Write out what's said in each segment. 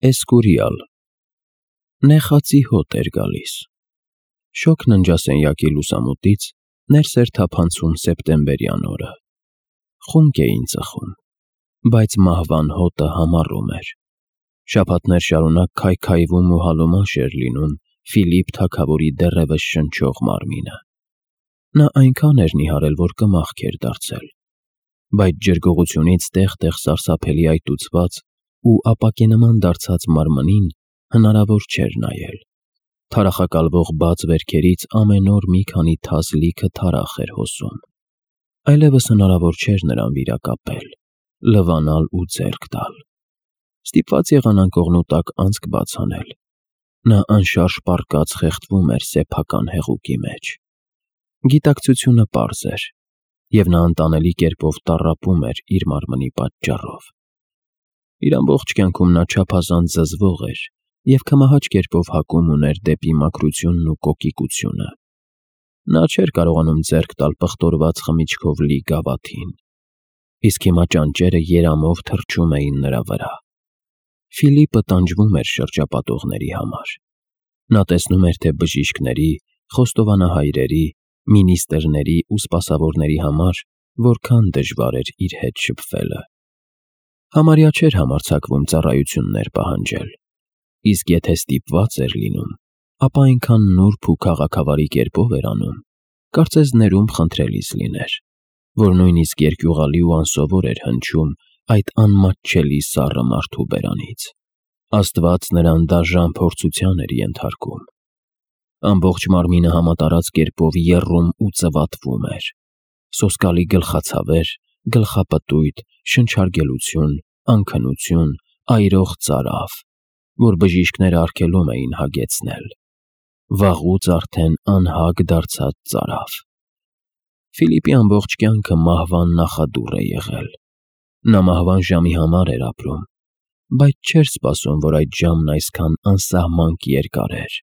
Էսկուրիալ։ Նեխածի հոտ էր գալիս։ Շոգ ննջասենյակի լուսամուտից ներս էր թափանցում սեպտեմբերյան օրը։ Խունկ էին ծխում, բայց մահվան հոտը համառում էր։ Շաբաթներ շարունակ քայքայվում ու հալոմաշ էր լինում Ֆիլիպ թագավորի դեռևս շնչող մարմինը։ Նա այնքան էր նիհարել, որ կմախք էր դարձել, բայց ջրգողությունից տեղ-տեղ սարսափելի այտուցված ու ապակենման դարձած մարմնին հնարավոր չէր նայել։ Թարախակալվող բաց վերքերից ամեն օր մի քանի թաս լիքը թարախ էր հոսում։ Այլևս հնարավոր չէր նրան վիրակապել, լվանալ ու ձեռք տալ։ Ստիպված եղան անկողնու տակ անցք բաց անել։ Նա անշարժ պառկած խեղդվում էր սեփական հեղուկի մեջ։ Գիտակցությունը պարզ էր, և նա անտանելի կերպով տառապում էր իր մարմնի պատճառով։ Իր ամբողջ կյանքում նա չափազանց զզվող էր և կմահաճ կերպով հակում ուներ դեպի մաքրությունն ու կոկիկությունը։ Նա չէր կարողանում ձեռք տալ պղտորված խմիչքով լի գավաթին, իսկ հիմա ճանճերը երամով թռչում էին նրա վրա։ Ֆիլիպը տանջվում էր շրջապատողների համար։ Նա տեսնում էր, թե բժիշկների, խոստովանահայրերի, մինիստրների ու սպասավորների համար որքան դժվար էր իր հետ շփվելը։ Համարյա չէր համարձակվում ծառայություններ պահանջել, իսկ եթե ստիպված էր լինում, ապա այնքան նուրբ ու քաղաքավարի կերպով էր անում, կարծես ներում խնդրելիս լիներ, որ նույնիսկ երկյուղալի ու անսովոր էր հնչում այդ անմատչելի սառը մարդու բերանից։ Աստված նրան դաժան փորձության էր ենթարկում։ Ամբողջ մարմինը համատարած կերպով եռում ու ծվատվում էր։ Սոսկալի գլխացավեր, գլխապտույտ, շնչարգելություն, անքնություն, այրող ծարավ, որ բժիշկները արգելում էին հագեցնել։ Վաղուց արդեն անհագ դարձած ծարավ։ Ֆիլիպի ամբողջ կյանքը մահվան նախադուռ է եղել։ Նա մահվան ժամի համար էր ապրում, բայց չէր սպասում, որ այդ ժամն այսքան անսահմանք երկար էր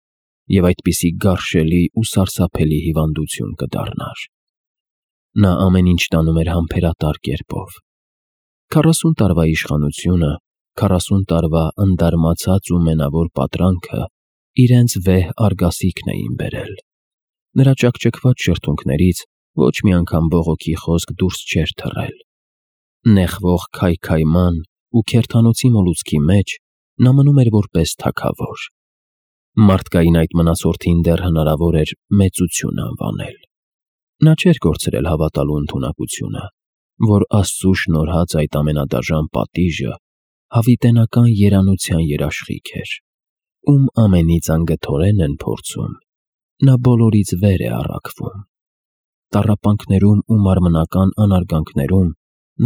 և այդպիսի գարշելի ու սարսափելի հիվանդություն կդառնար։ Նա ամեն ինչ տանում էր համբերատար կերպով։ 40 տարվա իշխանությունը, 40 տարվա ընդարմացած ու մենավոր պատրանքը իրենց վեհ արգասիքն էին բերել։ Նրա ճաքճքված շրթունքներից ոչ մի անգամ բողոքի խոսք դուրս չէր թռել։ Նեղվող քայքայման ու քերթանոցի մոլուցքի մեջ նա մնում էր որպես թագավոր։ Մարդկային այդ մնացորդին դեռ հնարավոր էր մեծություն անվանել։ Նա չէր կորցրել հավատալու ընդունակությունը, որ Աստծու շնորհած այդ ամենադաժան պատիժը հավիտենական երանության երաշխիք էր, ում ամենից անգթորեն են փորձում, նա բոլորից վեր է առաքվում։ Տառապանքներում ու մարմնական անարգանքներում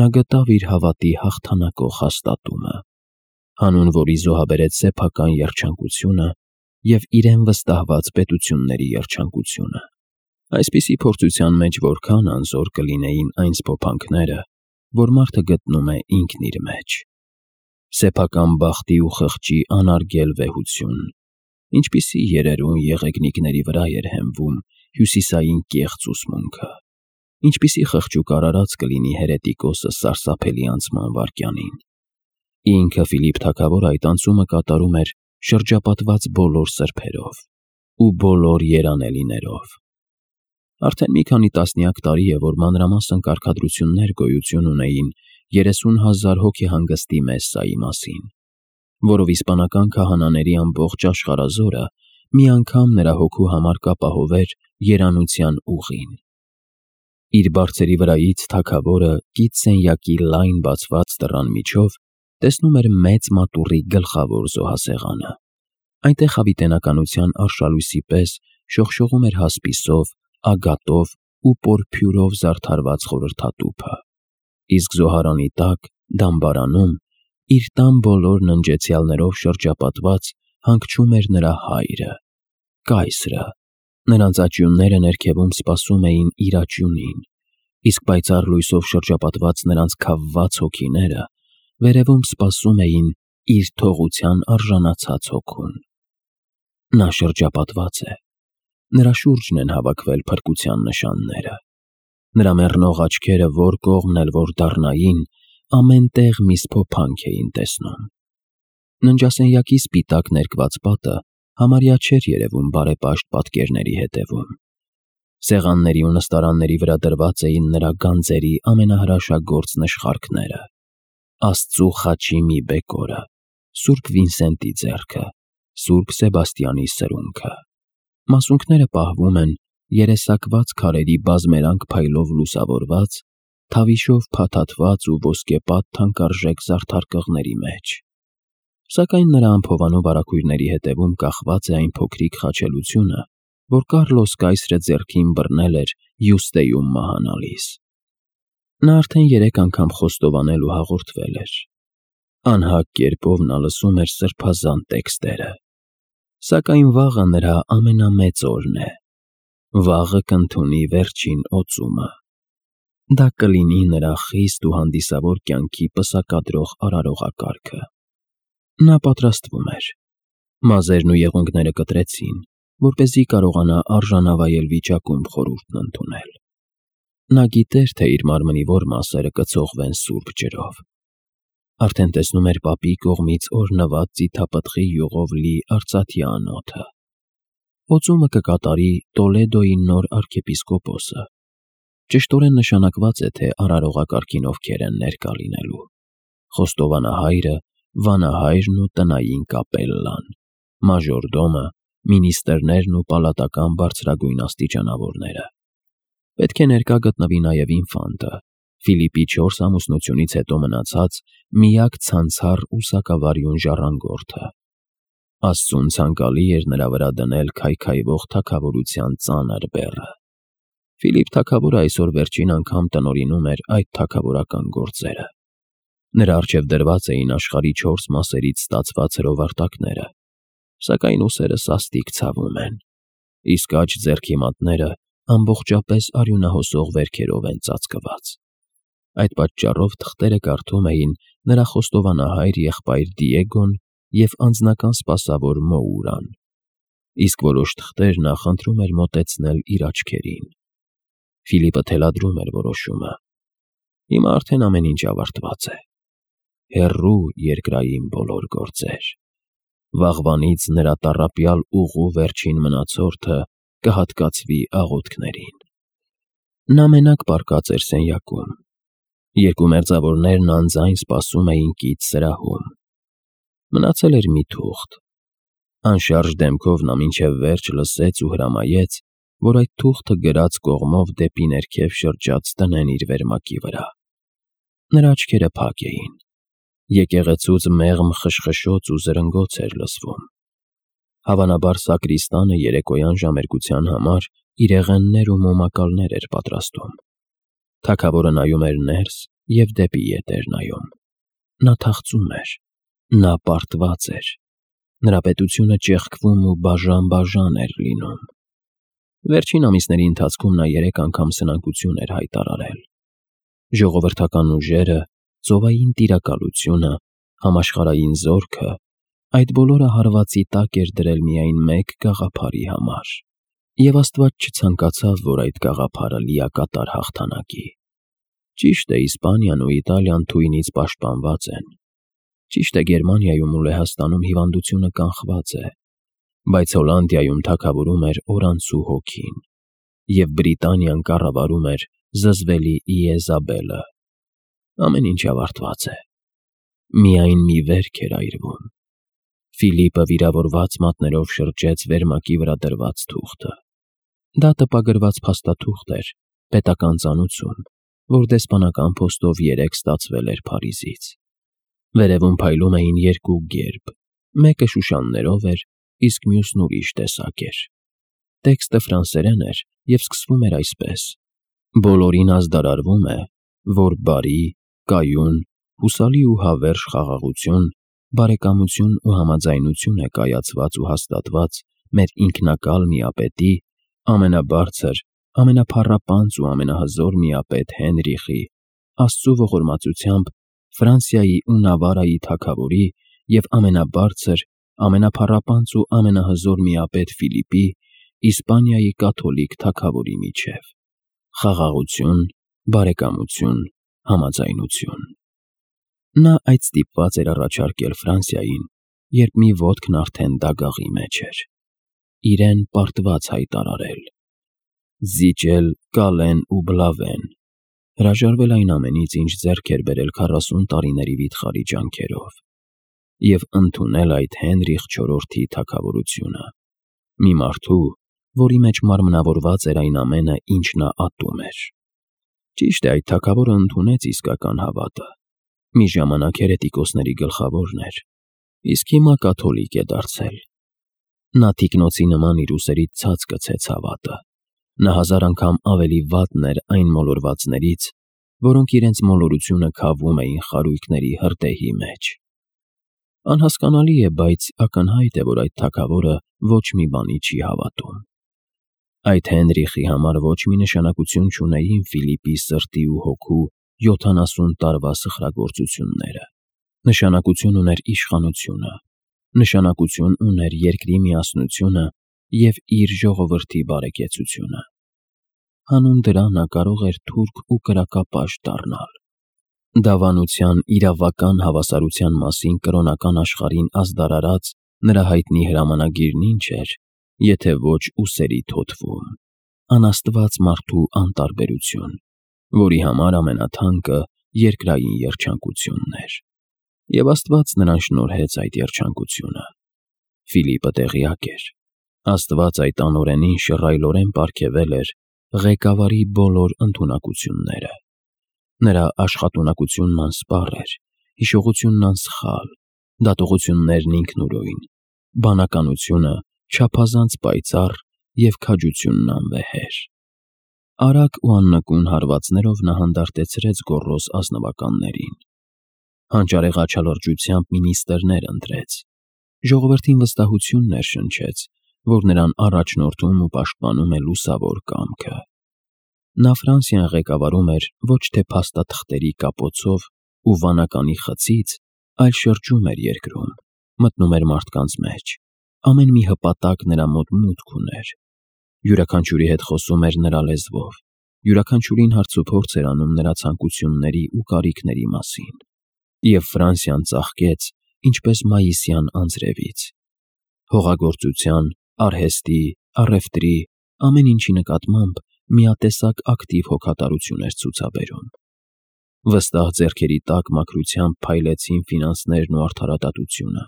նա գտավ իր հավատի հաղթանակող հաստատումը, հանուն որի զոհաբերեց սեփական երջանկությունը և իրեն վստահված պետությունների երջանկությունը։ Այսպիսի փորձության մեջ որքան անզոր կլինեին այն սփոփանքները, որ մարդը գտնում է ինքն իր մեջ։ Սեփական բախտի ու խղճի անարգել վեհություն, ինչպիսի երերուն եղեգնիկների վրա էր հենվում հյուսիսային կեղծ ուսմունքը, ինչպիսի խղճուկ արարած կլինի հերետիկոսը սարսափելի անցման վայրկյանին։ Ինքը Ֆիլիպ թագավորը այդ անցումը կատարում էր շրջապատված բոլոր սրբերով ու բոլոր երանելիներով։ Արդեն մի քանի տասնյակ տարի է, որ մանրամասն կարգադրություններ գոյություն ունեին 30,000 հոգեհանգստի Մեսսայի մասին, որով իսպանական քահանաների ամբողջ աշխարհազորը մի անգամ նրա հոգու համար կապահովեր երանության ուղին։ Իր բարձերի վրայից թագավորը կից սենյակի լայն բացված դռան միջով տեսնում էր մեծ մատուռի գլխավոր զոհասեղանը։ Այնտեղ հավիտենականության արշալույսի պես շողշողում էր հասպիսով, ագատով ու պորփյուրով զարդարված խորհրդատուփը, իսկ զոհարանի տակ, դամբարանում, իր տան բոլոր ննջեցյալներով շրջապատված հանգչում էր նրա հայրը, կայսրը։ Նրանց աճյունները ներքևում սպասում էին իր աճյունին, իսկ պայծառ լույսով շրջապատված նրանց քավված հոգիները վերևում սպասում էին իր թողության արժանացած հոգուն։ Նա շրջապատված է։ Նրա շուրջն են հավաքվել փրկության նշանները։ Նրա մեռնող աչքերը որ կողմն էլ որ դառնային, ամեն տեղ մի սփոփանք էին տեսնում։ Ննջասենյակի սպիտակ ներկված պատը համարյա չէր երևում բարեպաշտ պատկերների հետևում։ Սեղանների ու նստարանների վրա դրված էին նրա գանձերի ամենահրաշագործ նշխարքները. Աստծու խաչի մի բեկորը, Սուրբ Վինսենտի ձեռքը, Սուրբ Սեբաստիանի սրունքը։ Մասունքները պահվում են երեսակված քարերի բազմերանգ փայլով լուսավորված, թավիշով փաթաթված ու ոսկեպատ թանկարժեք զարդարկղների մեջ։ Սակայն նրա անփովանու բարագույրների հետևում կախված է այն փոքրիկ խաչելությունը, որ Կառլոս կայսրը ձեռքին բռնել էր Յուստեյում մահանալիս։ Նա արդեն 3 անգամ խոստովանել ու հաղորդվել էր։ Անհագ կերպով նա լսում էր սրբազան տեքստերը։ Սակայն վաղը նրա ամենամեծ օրն է։ Վաղը կընդունի վերջին օծումը։ Դա կլինի նրա խիստ ու հանդիսավոր կյանքի պսակադրող արարողակարգը։ Նա պատրաստվում էր։ Մազերն ու եղունգները կտրեցին, որպեսզի կարողանա արժանավայել վիճակում խորհուրդն ընդունել։ Նա գիտեր, թե իր մարմնի որ մասերը կցողվեն սուրբ ջրով։ Արդեն տեսնում էր պապի կողմից օրհնված ձիթապտղի յուղով լի արծաթյա անոթը։ Օծումը կկատարի Տոլեդոյի նոր արքեպիսկոպոսը։ Ճշտորեն նշանակված է, թե արարողակարգին ովքեր են ներկա լինելու։ Խոստովանահայրը, վանահայրն ու տնային կապելլան, մաժորդոմը, մինիստրներն ու պալատական բարձրագույն աստիճանավորները։ Պետք է ներկա գտնվի նաև ինֆանտը, Ֆիլիպի 4 ամուսնությունից հետո մնացած միակ ցանցառ ու սակավարյուն ժառանգորդը։ Աստծուն ցանկալի էր նրա վրա դնել քայքայվող թագավորության ծանր բեռը։ Ֆիլիպ թագավորը այսօր վերջին անգամ տնօրինում էր այդ թագավորական գործերը։ Նրա առջև դրված էին աշխարհի 4 մասերից ստացված հրովարտակները, սակայն ուսերը սաստիկ ցավում են, իսկ աջ ձեռքի մատները ամբողջապես արյունահոսող վերքերով են ծածկված։ Այդ պատճառով թղթերը կարդում էին նրա խոստովանահայր եղբայր Դիեգոն և անձնական սպասավոր Մոուրան, իսկ որոշ թղթեր նա խնդրում էր մոտեցնել իր աչքերին։ Ֆիլիպը թելադրում էր որոշումը։ Հիմա արդեն ամեն ինչ ավարտված է։ Հեռու երկրային բոլոր գործեր։ Վաղվանից նրա տառապյալ ուղու վերջին մնացորդը կհատկացվի աղոթքներին։ Նա մենակ պառկած էր սենյակում։ 2 մերձավորներն անձայն սպասում էին կից սրահում։ Մնացել էր մի թուղթ։ Անշարժ դեմքով նա մինչև վերջ լսեց ու հրամայեց, որ այդ թուղթը գրած կողմով դեպի ներքև շրջած տնեն իր վերմակի վրա։ Նրա աչքերը փակ էին։ Եկեղեցուց մեղմ խշխշոց ու զրնգոց էր լսվում։ Հավանաբար սակրիստանը երեկոյան ժամերգության համար իրեղեններ ու մոմակալներ էր պատրաստում։ Թագավորը նայում էր ներս և դեպի ետ էր նայում։ Նա թախծում էր։ Նա պարտված էր։ Նրա պետությունը ճեղքվում ու բաժան-բաժան էր լինում։ Վերջին ամիսների ընթացքում նա 3 անգամ սնանկություն էր հայտարարել։ Ժողովրդական ուժերը, ծովային տիրակալությունը, համաշխարհային զորքը, այդ բոլորը հարվածի տակ էր դրել միայն մեկ գաղափարի համար։ Եվ Աստված չցանկացավ, որ այդ գաղափարը լիակատար հաղթանակի։ Ճիշտ է, Իսպանիան ու Իտալիան թույնից պաշտպանված են։ Ճիշտ է, Գերմանիայում ու Լեհաստանում հիվանդությունը կանխված է, բայց Հոլանդիայում թագավորում էր օրանցու հոգին, և Բրիտանիան կառավարում էր զզվելի Իեզաբելը։ Ամեն ինչ ավարտված է։ Միայն մի վերք էր այրվում։ Ֆիլիպը վիրավորված մատներով շրջեց վերմակի վրա դրված թուղթը։ Դա տպագրված փաստաթուղթ էր, պետական ծանուցում, որ դեսպանական փոստով 3 ստացվել էր Փարիզից։ Վերևում փայլում էին 2 գերբ, մեկը շուշաններով էր, իսկ մյուսն ուրիշ տեսակ էր։ Տեքստը ֆրանսերեն էր և սկսվում էր այսպես. «Բոլորին ազդարարվում է, որ բարի, կայուն, հուսալի ու հավերժ խաղաղություն, բարեկամություն ու համաձայնություն է կայացված ու հաստատված մեր ինքնակալ միապետի, ամենաբարձր, ամենափառապանծ ու ամենահզոր միապետ Հենրիխի, Աստծու ողորմածությամբ Ֆրանսիայի ու Նավարայի թագավորի և ամենաբարձր, ամենափառապանծ ու ամենահզոր միապետ Ֆիլիպի, Իսպանիայի կաթոլիկ թագավորի միջև։ Խաղաղություն, բարեկամություն, համաձայնություն»։ Նա այդ ստիպված էր առաջարկել Ֆրանսիային, երբ մի ոտքն արդեն դագաղի մեջ էր։ Իրեն պարտված հայտարարել, զիջել Կալեն ու Բլավեն, հրաժարվել այն ամենից, ինչ ձեռք էր բերել 40 տարիների վիթխարի ջանքերով, և ընդունել այդ Հենրիխ IV-ի թագավորությունը, մի մարդու, որի մեջ մարմնավորված էր այն ամենը, ինչ նա ատում էր։ Ճիշտ է, այդ թագավորը ընդունեց իսկական հավատը, մի ժամանակ հերետիկոսների գլխավորն էր, իսկ հիմա կաթոլիկ է դարձել։ Նա թիկնոցի նման իր ուսերից ցած գցեց հավատը, նա 1000 անգամ ավելի վատն էր այն մոլորվածներից, որոնք իրենց մոլորությունը քավում էին խարույկների հրդեհի մեջ։ Անհասկանալի է, բայց ակնհայտ է, որ այդ թագավորը ոչ մի բանի չի հավատում։ Այդ Հենրիխի համար ոչ մի նշանակություն չունեին Ֆիլիպի սրտի ու հոգու 70 տարվա սխրագործությունները։ Նշանակություն ուներ իշխանությունը, նշանակություն ուներ երկրի միասնությունը և իր ժողովրդի բարեկեցությունը։ Հանուն դրա նա կարող էր թուրք ու կրակապաշտ դառնալ։ Դավանության իրավական հավասարության մասին կրոնական աշխարհին ազդարարած նրա հայտնի հրամանագիրն ինչ էր, եթե ոչ ուսերի թոթվում, անաստված մարդու անտարբերություն, որի համար ամենաթանկը երկրային երջանկությունն էր։ Եվ Աստված նրան շնորհեց այդ երջանկությունը։ Ֆիլիպը տեղյակ էր, Աստված այդ անօրենին շռայլորեն պարգևել էր ղեկավարի բոլոր ընդունակությունները։ Նրա աշխատունակությունն անսպառ էր, հիշողությունն անսխալ, դատողություններն ինքնուրույն, բանականությունը չափազանց պայծառ և քաջությունն անվեհեր։ Արագ ու աննկուն հարվածներով նա հանդարտեցրեց գոռոզ ազնվականներին։ Հանճարեղ աչալրջությամբ մինիստրներ ընտրեց, ժողովրդին վստահություն ներշնչեց, որ նրան առաջնորդում ու պաշտպանում է լուսավոր կամքը։ Նա Ֆրանսիան ղեկավարում էր ոչ թե փաստաթղթերի կապոցով ու վանականի խցից, այլ շրջում էր երկրում, մտնում էր մարդկանց մեջ, ամեն մի հպատակ նրա մոտ մուտք ուներ, յուրաքանչյուրի հետ խոսում էր նրա լեզվով, յուրաքանչյուրին հարցուփորձ էր անում նրա ցանկությունների ու կարիքների մասին, և Ֆրանսիան ծաղկեց ինչպես մայիսյան անձրևից։ Հողագործության, արհեստի, առևտրի, ամեն ինչի նկատմամբ միատեսակ ակտիվ հոգատարություն էր ցուցաբերում։ Վստահ ձեռքերի տակ մաքրությամբ փայլեցին ֆինանսներն ու արդարադատությունը,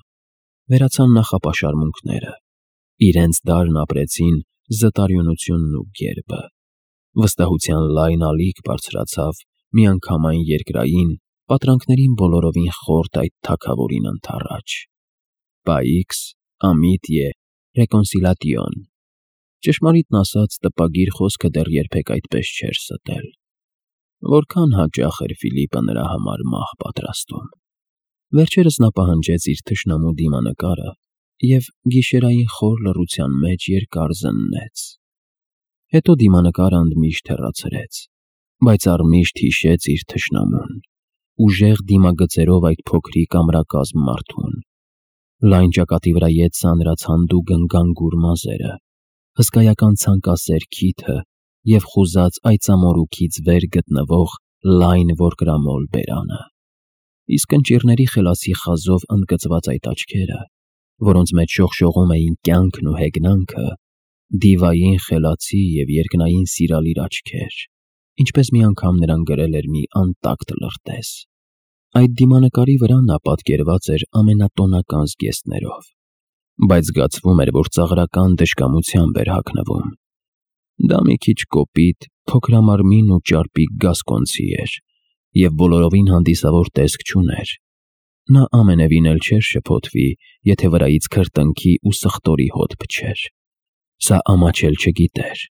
վերացան նախապաշարմունքները, իրենց դարն ապրեցին զտարյունությունն ու գերբը, վստահության լայն ալիք բարձրացավ միանգամայն երկրային, պատրանքներին բոլորովին խորտ այդ թագավորին ընդառաջ։ Paix, amitié, réconciliation։ Ճշմարիտն ասած, տպագիր խոսքը դեռ երբեք այդպես չէր ստել։ Որքան հաճախ էր Ֆիլիպը նրա համար մահ պատրաստում։ Վերջերս նա պահանջեց իր թշնամու դիմանկարը և գիշերային խոր լռության մեջ երկար զննեց։ Հետո դիմանկարը ընդմիշտ հեռացրեց, բայց առմիշտ հիշեց իր թշնամուն, ուժեղ դիմագծերով այդ փոքրիկ ամրակազմ մարդուն, լայն ճակատի վրա ետ սանրած հանդուգն գանգուր մազերը, հսկայական ցանկասեր քիթը և խուզած այծամորուքից վեր գտնվող լայն որկրամոլ բերանը, իսկ ընճիռների խելացի խազով ընդգծված այդ աչքերը, որոնց մեջ շողշողում էին կյանքն ու հեգնանքը, դիվային խելացի և երկնային սիրալիր աչքեր, ինչպես մի անգամ նրան գրել էր մի անտակտ լրտես։ Այդ դիմանկարի վրա նա պատկերված էր ամենատոնական զգեստներով, բայց զգացվում էր, որ ծաղրական դժկամությամբ էր հագնվում։ Դա մի քիչ կոպիտ, փոքրամարմին ու ճարպիկ գասկոնցի էր և բոլորովին հանդիսավոր տեսք չուներ։ Նա ամենևին էլ չէր շփոթվի, եթե վրայից քրտինքի ու սխտորի հոտ փչեր։ Սա ամաչել չգիտեր։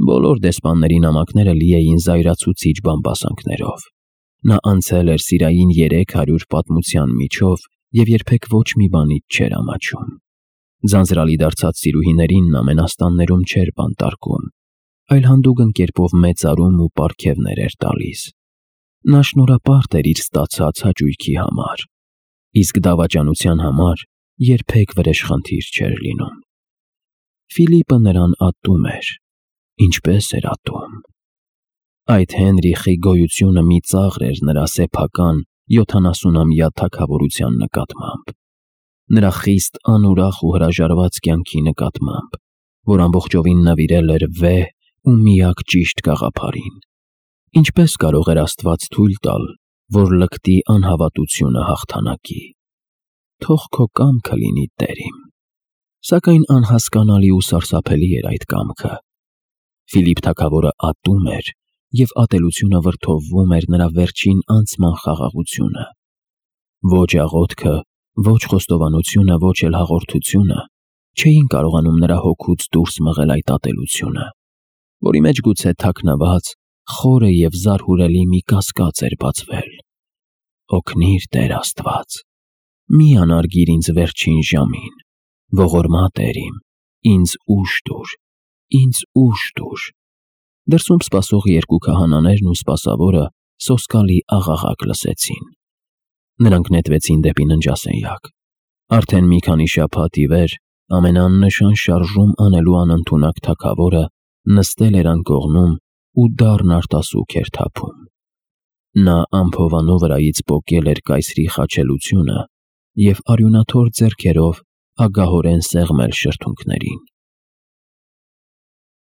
Բոլոր դեսպանների նամակները լի էին զայրացուցիչ բամբասանքներով։ Նա անցել էր սիրային 300 պատմության միջով և երբեք ոչ մի բանից չէր ամաչում։ Ձանձրալի դարձած սիրուհիներին նա մենաստաններում չէր բանտարկում, այլ հանդուգն կերպով մեծարում ու պարգևներ էր տալիս։ Նա շնորհապարտ էր իր ստացած հաճույքի համար, իսկ դավաճանության համար երբեք վրեժխնդիր չէր լինում։ Ֆիլիպը նրան ատում էր, ինչպես էր ատում։ Այդ Հենրիխի գոյությունը մի ծաղր էր նրա սեփական 70-ամյա թագավորության նկատմամբ։ նրա խիստ անուրախ ու հրաժարված կյանքի նկատմամբ, որ ամբողջովին նվիրել էր վեհ ու միակ ճիշտ գաղափարին։ Ինչպես կարող էր Աստված թույլ տալ, որ լկտի անհավատությունը հաղթանակի։ Թող քո կամքը լինի, Տեր իմ։ Սակայն անհասկանալի ու սարսափելի էր այդ կամքը։ Ֆիլիպ թագավորը ատում էր, և ատելությունը վրդովվում էր նրա վերջին անցման խաղաղությունը։ Ոչ աղոթքը, ոչ խոստովանությունը, ոչ էլ հաղորդությունը չէին կարողանում նրա հոգուց դուրս մղել այդ ատելությունը, որի մեջ գուցե թաքնված, խորը և զարհուրելի մի կասկած էր բացվել։ Օգնիր, Տեր Աստված, մի անարգիր ինձ վերջին ժամին, ողորմա Տեր իմ, ինձ ուժ տուր, ինձ ուժ տուր։ Դրսում սպասող երկու քահանաներն ու սպասավորը սոսկալի աղաղակ լսեցին։ Նրանք նետվեցին դեպի ննջասենյակ։ Արդեն մի քանի շաբաթ ի վեր ամենաաննշան շարժում անելու անընդունակ թագավորը նստել էր անկողնում ու դառն արտասուք էր թափում։ Նա ամփովանու վրայից պոկել էր կայսրի խաչելությունը և արյունաթոր ձեռքերով ագահորեն սեղմել շրթունքներին։